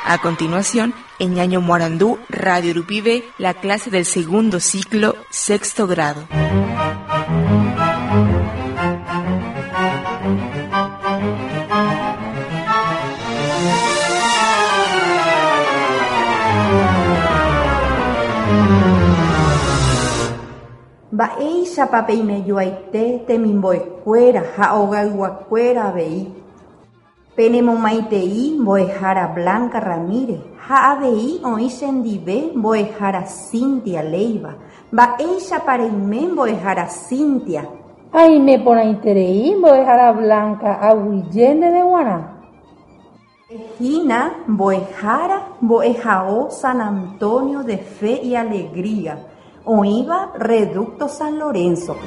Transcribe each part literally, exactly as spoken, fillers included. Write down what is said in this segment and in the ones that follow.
A continuación, en Ñaño Morandú, Radio Rupibe, la clase del segundo ciclo, sexto grado. Mba'éichapa peimejoaite temimbo'ekuéra ha ogayguakuéra avei. Penemomaitei mbo'ehára Blanca Ramírez ha avei oĩ chendive mbo'ehára Cinthia Leiva. Mba'éichapa reime mbo'ehára Cinthia. Aime porãiterei mbo'ehára Blanca aguyje ndéve g̃uarã. Hína mbo'ehára mbo'ehao San Antonio de Fe y Alegría oĩva Reducto San Lorenzo-pe.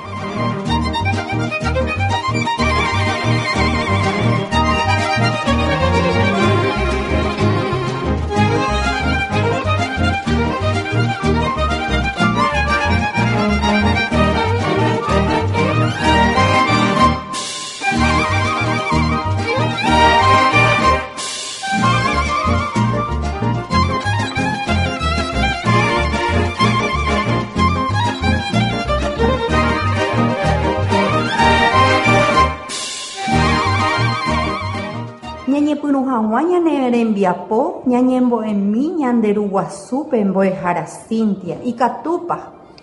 Ñañepyrũ hag̃ua ñane rembiapo ñañembo'emi ñande Ruguasúpe mbo'ehára Cinthia. Ikatúpa.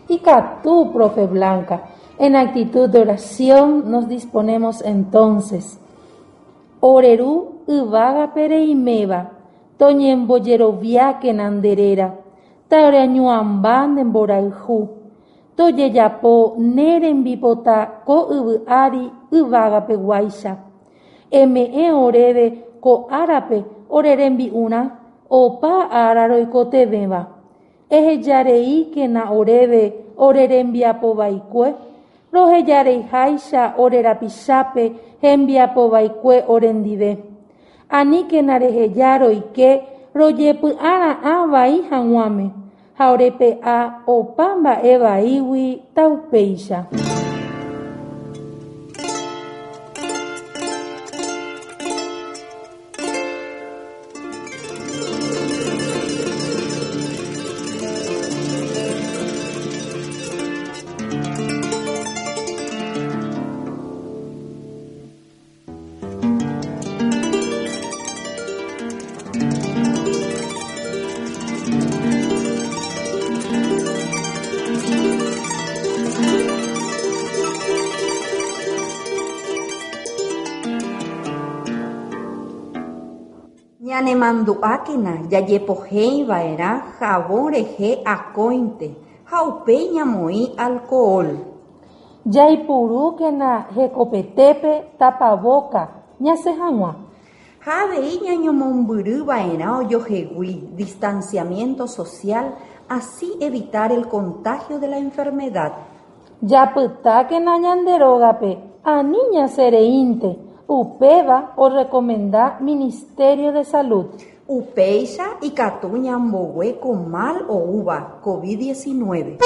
Ikatu, profe Blanca. En actitud de oración nos disponemos entonces. Ore Ru yvágape reiméva, toñembojeroviákena nde réra, taoreañuãmba ne mborayhu, tojejapo ne rembipota ko yvy ári yvagapeguáicha. Eme'ẽ oréve ko árape ore rembi'urã opa ára roikotevẽva. Ehejareíkena oréve ore rembiapovaikue, rohejareiháicha ore rapichápe hembiapovaikue orendive. Aníkena reheja roike rojepy'ara'ã vai hag̃uáme ha orepe'a opa mba'e vaígui taupéicha. Ñanemandu'ákena jajepoheiva'erã jabón rehe akóinte ha upéi ñamoĩ alcohol. Jaipurúkena hekopetépe tapabóka ñasẽ hag̃ua. Ha avei ñañomombyryva'erã ojoehegui distanciamiento social, así evitar el contagio de la enfermedad. Japytákena ñande rógape ani ñasẽreínte. Upéva orecomenda Ministerio de Salud. Upéicha ikatu ñambogue ko mal oúva COVID diecinueve.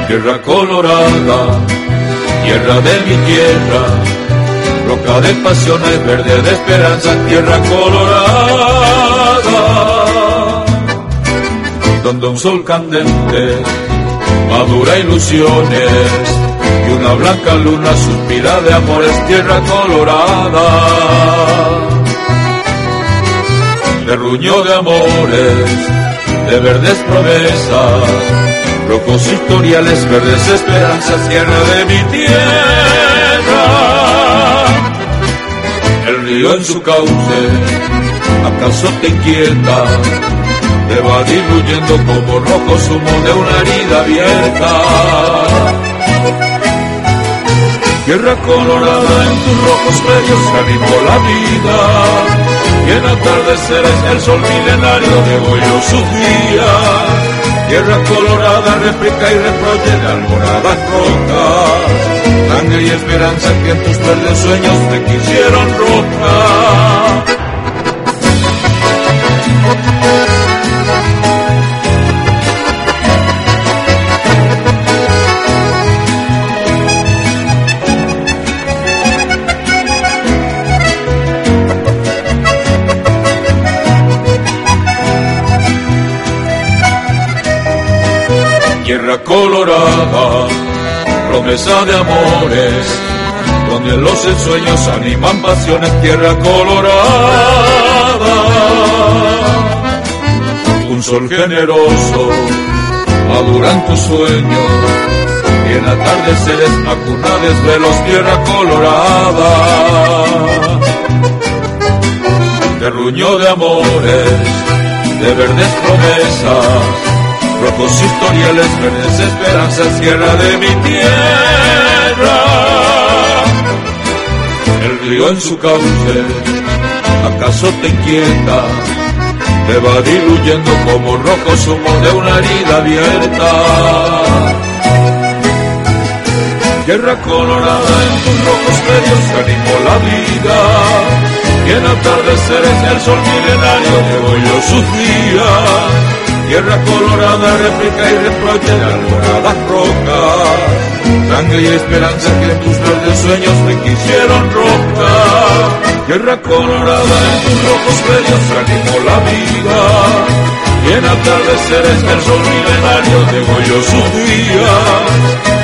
Tierra colorada, tierra de mi tierra, roca de pasiones, verde de esperanza, tierra colorada, donde un sol candente madura ilusiones y una blanca luna suspira de amores, tierra colorada, terruño de amores, de verdes promesas, rojos historiales, verdes esperanzas, tierra de mi tierra. El río en su cauce, ¿acaso te inquieta? Te va diluyendo como rojo zumo de una herida abierta. Tierra colorada, en tus rojos predios se animó la vida, y en atardeceres el sol milenario degolló sus días. Tierra colorada, réplica y reproche de alboradas rojas, sangre y esperanza que en tus verdes sueños te quisieron roja. Thank you. Tierra colorada, promesa de amores, donde los ensueños animan pasiones, tierra colorada. Un sol generoso maduran tus sueños, y en atardeceres acuna desvelos, tierra colorada. Terruño de amores, de verdes promesas, rojos historiales, verdes esperanzas, tierra de mi tierra. El río en su cauce, ¿acaso te inquieta? Te va diluyendo como rojo zumo de una herida abierta. Tierra colorada, en tus rojos predios se animó la vida, y en atardeceres el sol milenario degolló sus días. Tierra colorada, réplica y reproche de alboradas rocas, sangre y esperanza que en tus verdes sueños me quisieron roja. Tierra colorada, en tus rojos predios se animó la vida, y en atardeceres el sol milenario degolló sus días.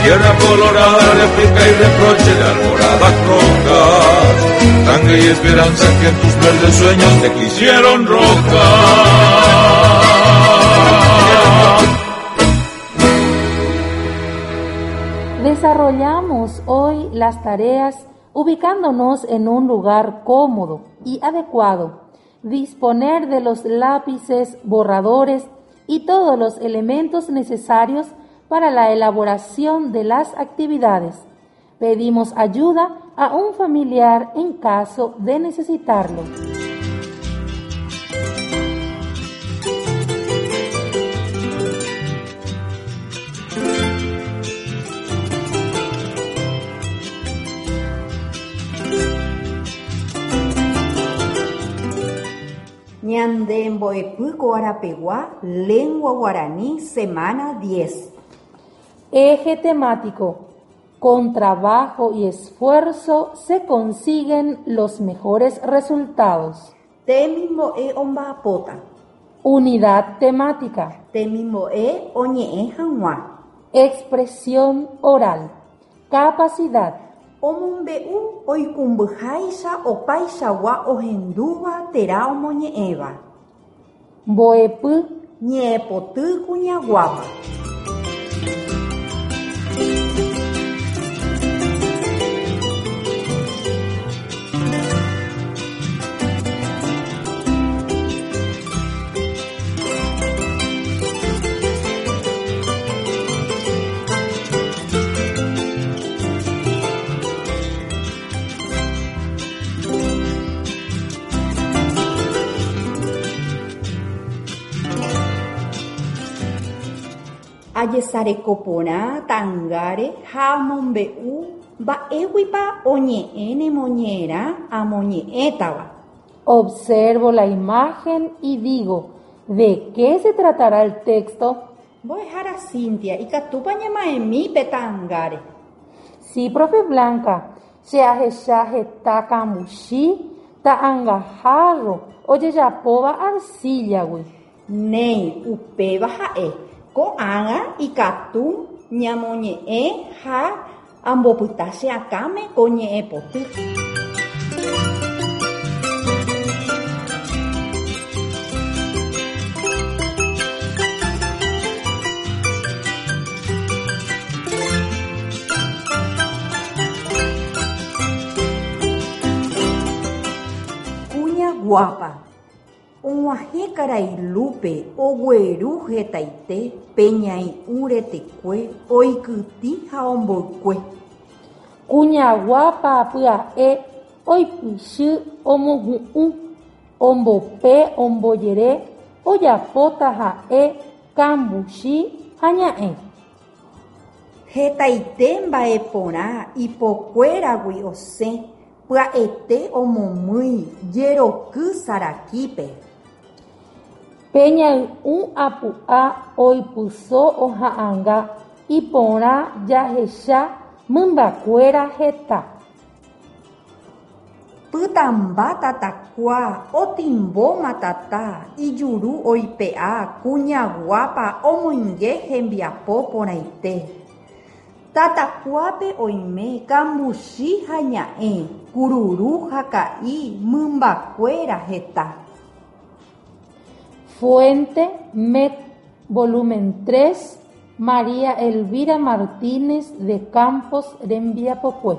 Tierra colorada, réplica y reproche de alboradas rocas, sangre y esperanza que en tus verdes sueños te quisieron roja. Desarrollamos hoy las tareas ubicándonos en un lugar cómodo y adecuado, disponer de los lápices, borradores y todos los elementos necesarios para la elaboración de las actividades. Pedimos ayuda a un familiar en caso de necesitarlo. Ñande mbo'epy ko arapegua, lengua guaraní, semana diez. Eje temático. Con trabajo y esfuerzo se consiguen los mejores resultados. Temimbo'e omba'apóta. Unidad temática. Temimbo'e oñe'ẽ hag̃ua. Expresión oral. Capacidad. Omombe'u oikũmbyháicha opaichagua ohendúva térã omoñe'ẽva. Mbo'epy. Ñe'ẽpoty kuñaguáva. Ajesarekoporã ta'ãngáre ha amombe'u mba'éguipa oñe'ẽ nemoñe'ẽrã amoñe'ẽtava. Observo la imagen y digo, ¿de qué se tratará el texto? Mbo'ehára Cintia, ikatúpa ñama'ẽmi pe ta'ãngáre. Sí, profe Blanca, che ahecha heta kambuchi ta'ãngaháro ojejapóva arcillagui. Néi, upéva ha'e. Ko'ág̃a ikatu ñamoñe'ẽ ha ambopyta che akãme ko ñe'ẽpoty. Kuña guapa. Og̃uahẽ karai Lupe ogueru hetaite pe ñai'ũ retekue oikytĩ ha omboykue. Kuña guapa pya'e oipichy omohu'ũ, ombope ombojere, ojapóta ha'e kambuchi ha ña'ẽ. Hetaite mba'eporã ipokuéragui osẽ pya'ete omomýi jeroky sarakípe. Pe ñai'ũ apu'a oipyso oha'ãnga iporã jahecha mymbakuéra heta. Pytãmba tatakua otimbóma tata ijuru oipe'a kuña guápa omoinge hembiapo porãite. Tatakuápe oime kambuchi ha ña'ẽ, kururu ha ka'i, mymbakuéra heta. Fuente M E C, volumen tres, María Elvira Martínez de Campos rembiapokue.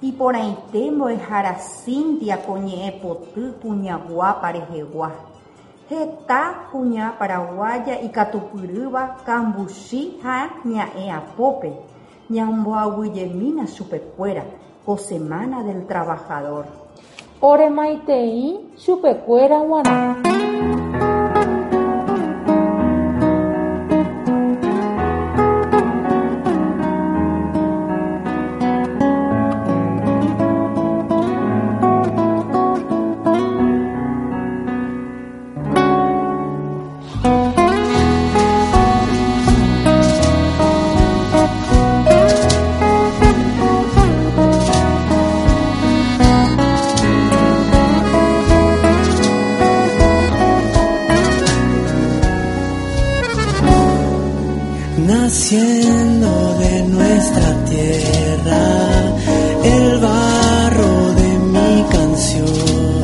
Iporãite mbo'ehára Cinthia ko ñe'ẽpoty kuña guápa rehegua. Heta kuña paraguaya ikatupyrýva kambuchi ha ña'ẽ apópe. Ñamboaguyjemína chupekuéra ko Semana del Trabajador. Oremaitei chupekuéra g̃uarã. Naciendo de nuestra tierra, el barro de mi canción,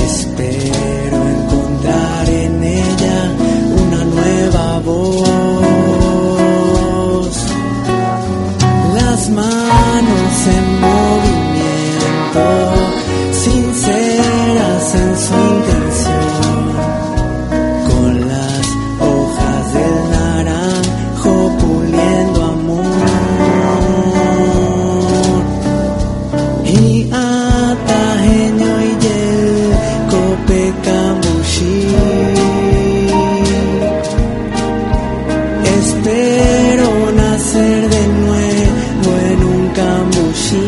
espero encontrar en ella una nueva voz. Las manos en movimiento, sinceras en su intención, con las hojas del naranjo puliendo amor. Y atajeño y yel copecamushi. Espero nacer de nuevo en un cambuchí.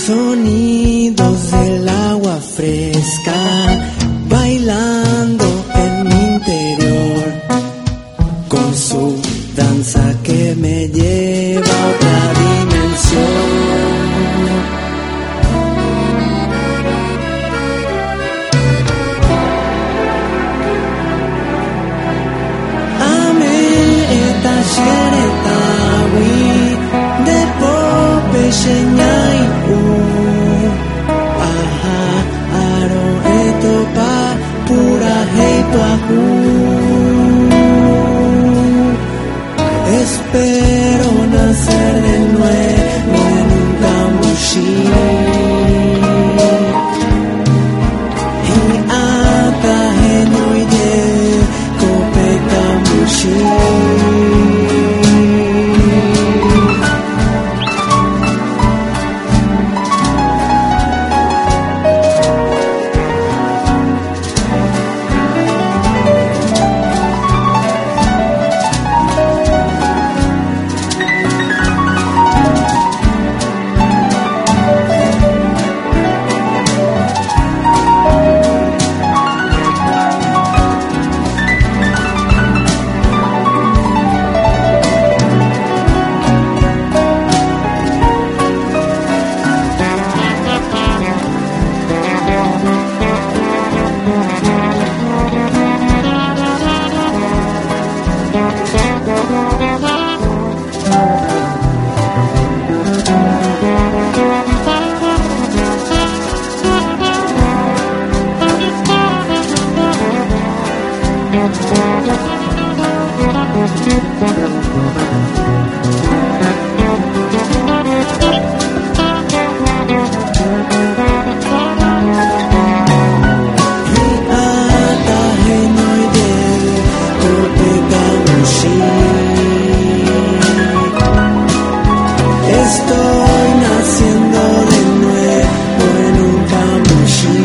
Sonidos del agua fresca bailando en mi interior, con su danza que me lleva a otra dimensión. Ame eta xeretawi de pope xeñai u. Aha, aro etopa pura heipahu. Espero nacer de nuevo en un cambuchí. Y atajeno y de cope cambuchí. Estoy naciendo de nuevo en un cambuchí.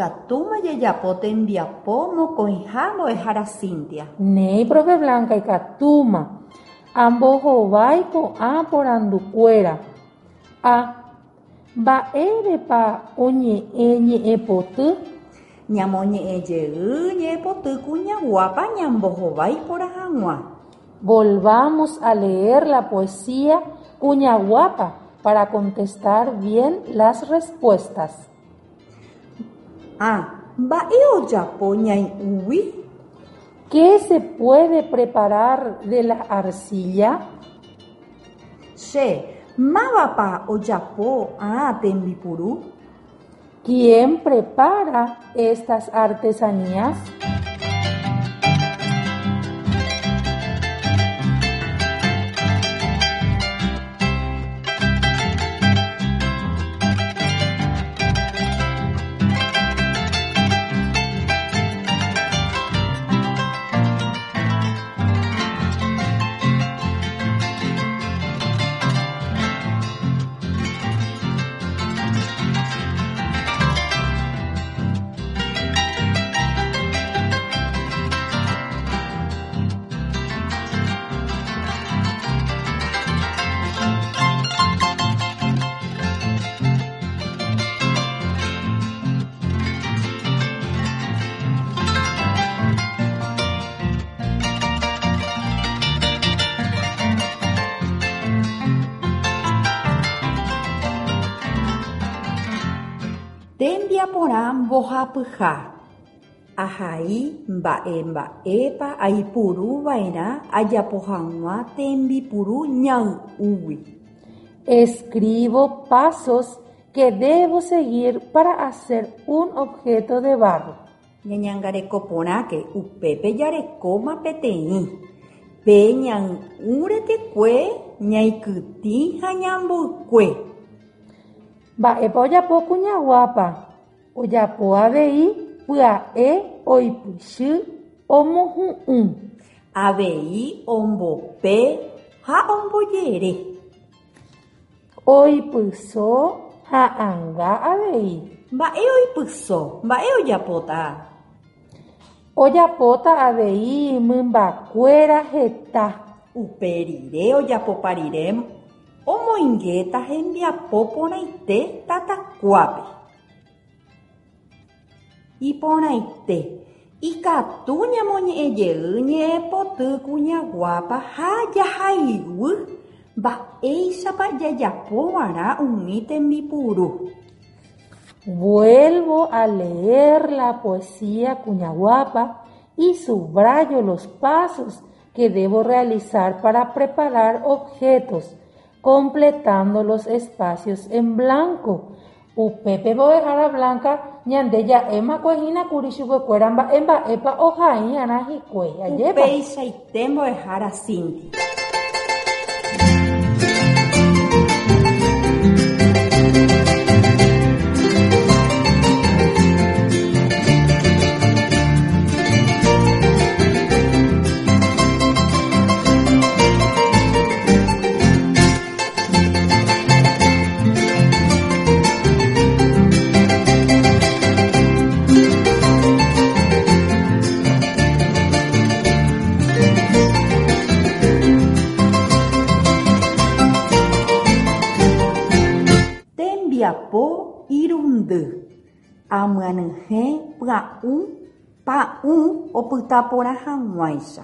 Ikatúma jajapo tembiapo mokõiha mbo'ehára Cinthia. Néi, profe Blanca, ikatúma. Ambohovái ko'ã porandukuéra. A. Mba'érepa oñe'ẽ ñe'ẽpoty? Ñamoñe'ẽjey ñe'ẽpoty Kuña Guápa ñambohovái porã hag̃ua. Volvamos a leer la poesía Kuña Guápa para contestar bien las respuestas. A. Mba'e ojapo ñai'ũgui? ¿Qué se puede preparar de la arcilla? C. Mávapa ojapo ã tembipuru? ¿Quién prepara estas artesanías? Tembiaporã mbohapyha. Ahai mba'e mba'épa aipuruva'erã ajapo hag̃ua tembipuru ñai'ũgui. Escribo pasos que debo seguir para hacer un objeto de barro. Ñañangareko porãke upépe jarekóma peteĩ. Pe ñai'ũ retekue ñaikytĩ ha ñamboykue. Mba'épa ojapo Kuña Guápa? Ojapo avei pya'e oipichy omohu'ũ. Avei ombope ha ombojere. Oipyso ha'ãnga avei. Mba'e oipyso? Mba'e ojapóta? Ojapóta avei mymbakuéra heta. Upe rire ojapopa rire omoingéta hembiapo porãite tatakuápe. Iporãite. Ikatu ñamoñe'ẽjey ñe'ẽpoty Kuña Guápa ha jahaiguy mba'éichapa jajapova'erã umi tembipuru. Vuelvo a leer la poesía Kuña Guápa y subrayo los pasos que debo realizar para preparar objetos, completando los espacios en blanco. Upépe mbo'ehára Blanca ñande ja'éma hína kuri chupekuéra mba'e mba'épa ohai'arã hikuái. Ajépa. Upeichaite mbo'ehára Cinthia. Tembiapo irundy. Amyanyhẽ pya'ũ pa'ũ opyta porã hag̃uáicha.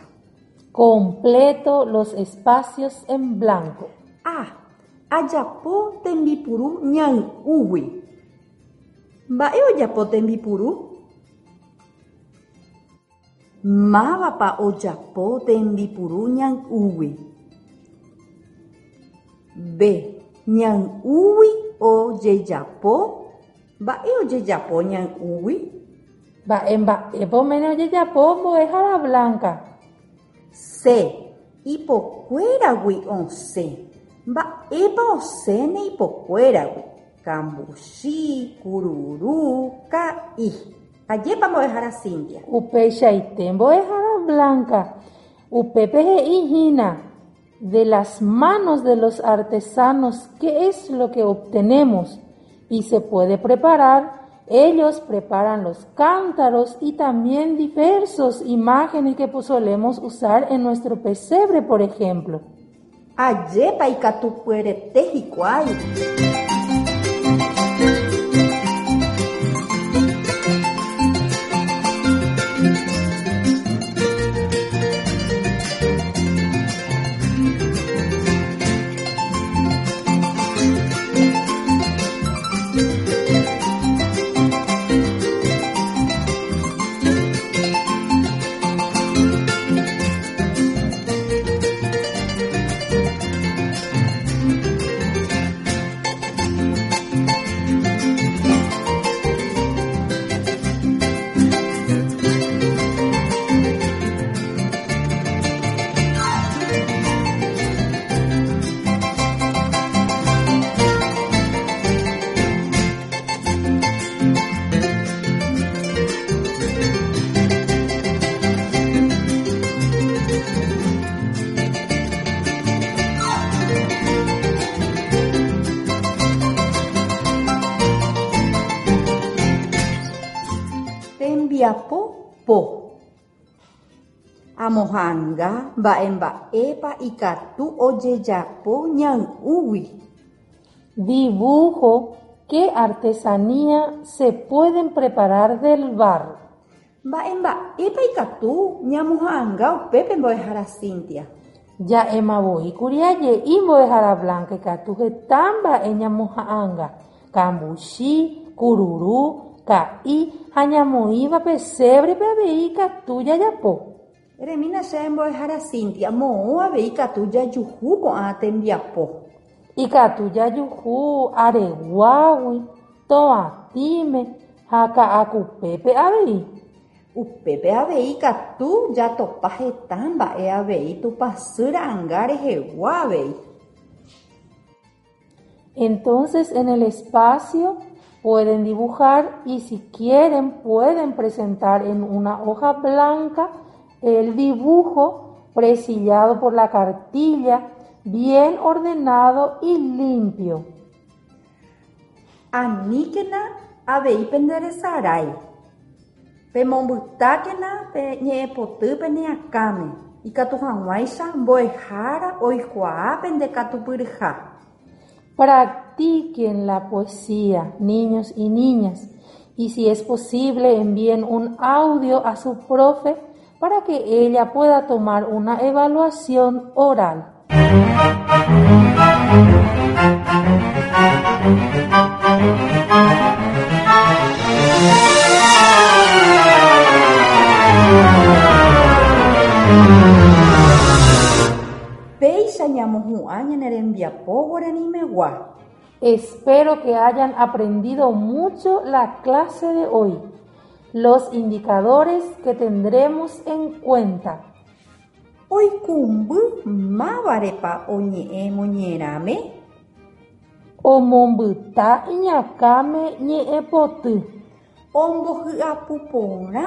Completo los espacios en blanco. A. Ajapo tembipuru ñai'ũgui. Mba'e ojapo tembipuru? Mávapa ojapo tembipuru ñai'ũgui? B. Ñai'ũgui ojejapo. Mba'e ojejapo ñai'ũgui? Mba'e mba'épa oméne ojejapo mbo'ehára Blanca. C. Ipokuéragui osẽ. Mba'épa osẽne ipokuéragui? Kambuchi, kururu, ka'i. Ajépa mbo'ehára Cinthia. Upeichaite mbo'ehára Blanca. Upépe he'íhina. De las manos de los artesanos, ¿qué es lo que obtenemos? Y se puede preparar Ellos preparan los cántaros y también diversas imágenes que solemos usar en nuestro pesebre, por ejemplo. Ajépa ikatupyryete hikuái. Tembiapo po. Amoha'ãnga mba'emba'épa ikatu ojejapo ñay'ũgui. Dibujo qué artesanía se pueden preparar del barro. Mba'emba'épa ikatu ñamoha'ãnga upépe mbo'ehára Cinthia. Ja'emavoíkuri aje'i mbo'ehára Blanca ikatu heta mba'e ñamoha'ãnga kambuchi, kururu, ka'i ha ñamoĩva pesebrepe avei ikatu jajapo. Eremína che mbo'ehára Cinthia moõ avei ikatu jajuhu ko'ã tembiapo. Ikatu jajuhu Areguágui, Toatĩme ha Ka'akupépe avei. Upépe avei ikatu jatopa heta mba'e avei Tupãsy ra'ãnga rehegua avei. Entonces en el espacio pueden dibujar y si quieren pueden presentar en una hoja blanca el dibujo presillado por la cartilla, bien ordenado y limpio. Aníkena avei penderesarái. Pemombytákena pe ñe'ẽpoty pene akãme ikatu hag̃uáicha mbo'ehára oikuaa pendekatupyryha. Practiquen la poesía, niños y niñas, y si es posible envíen un audio a su profe para que ella pueda tomar una evaluación oral. Péicha ñamohu'ã ñane rembiapo guaranimegua. Espero que hayan aprendido mucho la clase de hoy. Los indicadores que tendremos en cuenta. Oikũmby mávarepa oñe'ẽ moñe'ẽrãme. Omombyta iñakãme ñe'ẽpoty. Ombohyapuporã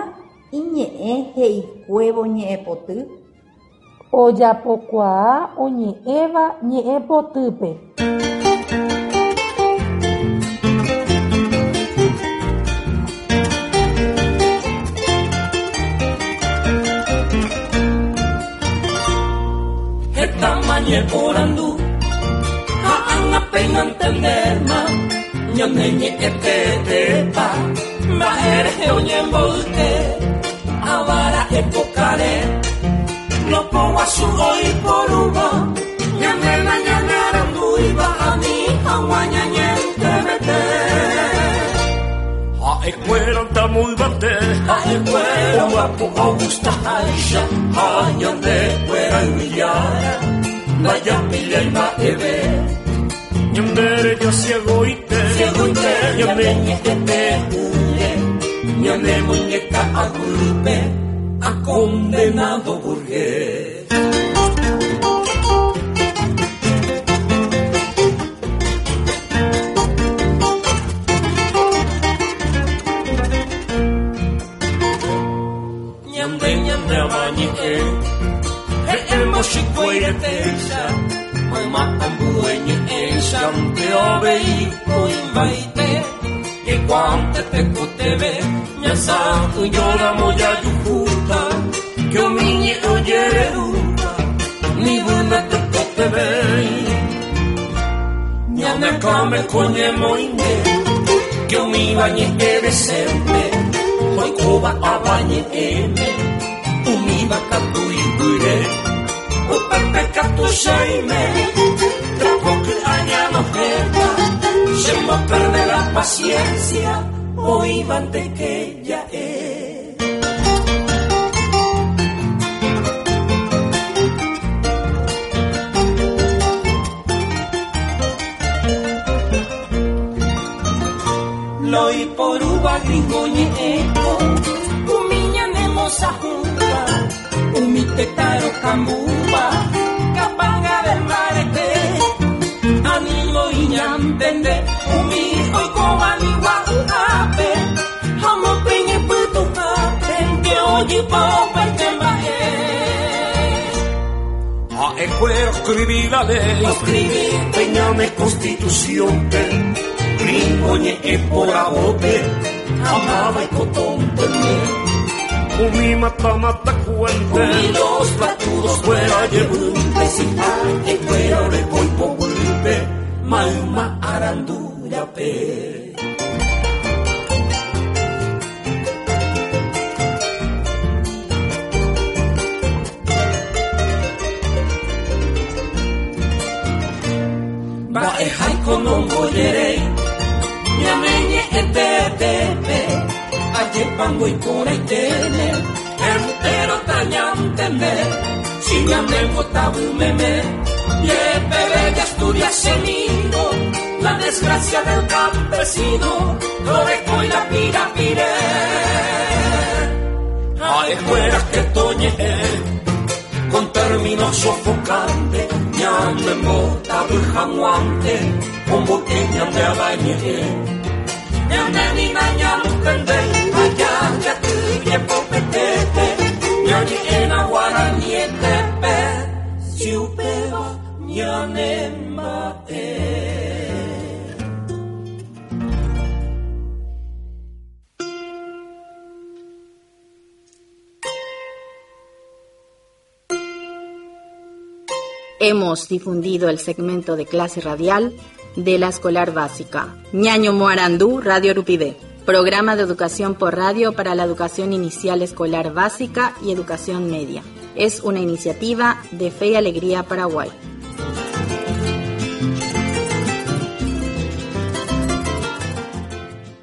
iñe'ẽ he'ikuévo ñe'ẽpoty. Ojapokuaa oñe'ẽva ñe'ẽpotýpe. Ñeporandu ha ág̃a entenderma ñane ñe'ẽtetépa mba'érehe oñemboyke avara epokare lopoguasu oiporúva ñanéna ñane arandúiva ani hag̃ua ñañentevete. Ha'ekuéra tamoyvate ha'ekuéra guapo ogustaháicha ha ñandekuéra yvyjára Vaya pilla y mba'eve Ñandereja ciegoite Ciegoite Ñane ñe'ẽte húre Ñane muñeca aguype A condenado burgués. Ñande ñande amañe'ẽ Emoxikuairetéicha mayma ambue ñe'ẽicha nde avei oĩmbaite Cuante te coteve, ñasa uñora moya yujuta, que omiñe oyeruta, ni buena te coteve. Ñane kame coñe moine, que omi bañe ebesente, hoy koba abañe eme, umi bakatu ibure, upepe katu shaime, trapoque añano jeta. Se me pierde la paciencia, hoy van que ya es. Loi por uva gringo ñeco, umiña nemosa junta, umitetaro cambuba, capanga del marete. Animo iñantende, umi oikobani guape, hamo peñe putupape, que oye poperte mbae. A escuero escribí la ley, escribí peñame constitución, pe, gringo ñe e por abote, amaba y cotón teme. Umi mata mata cuente, umi los batudos fuera llevunte, si a escuero le voy po Malma arandura pe. Ba e hai kono moyere, ñameñe etetepe, aye pango y coraitene, entero tañantende, si ñamengo tabu meme. Yepe bella Asturias semino, la desgracia del campesino, lo y la pira pire. A escuelas que toñe, con términos sofocantes, ñame mota bujamuante, con boqueña de abañe. Ñame ni maña mutende, allá ya tuye popetete, ñañe en aguaranietepe, si upeba. Hemos difundido el segmento de clase radial de la escolar básica. Ñaño Moarandú, Radio Rupivé. Programa de educación por radio para la educación inicial escolar básica y educación media. Es una iniciativa de Fe y Alegría Paraguay.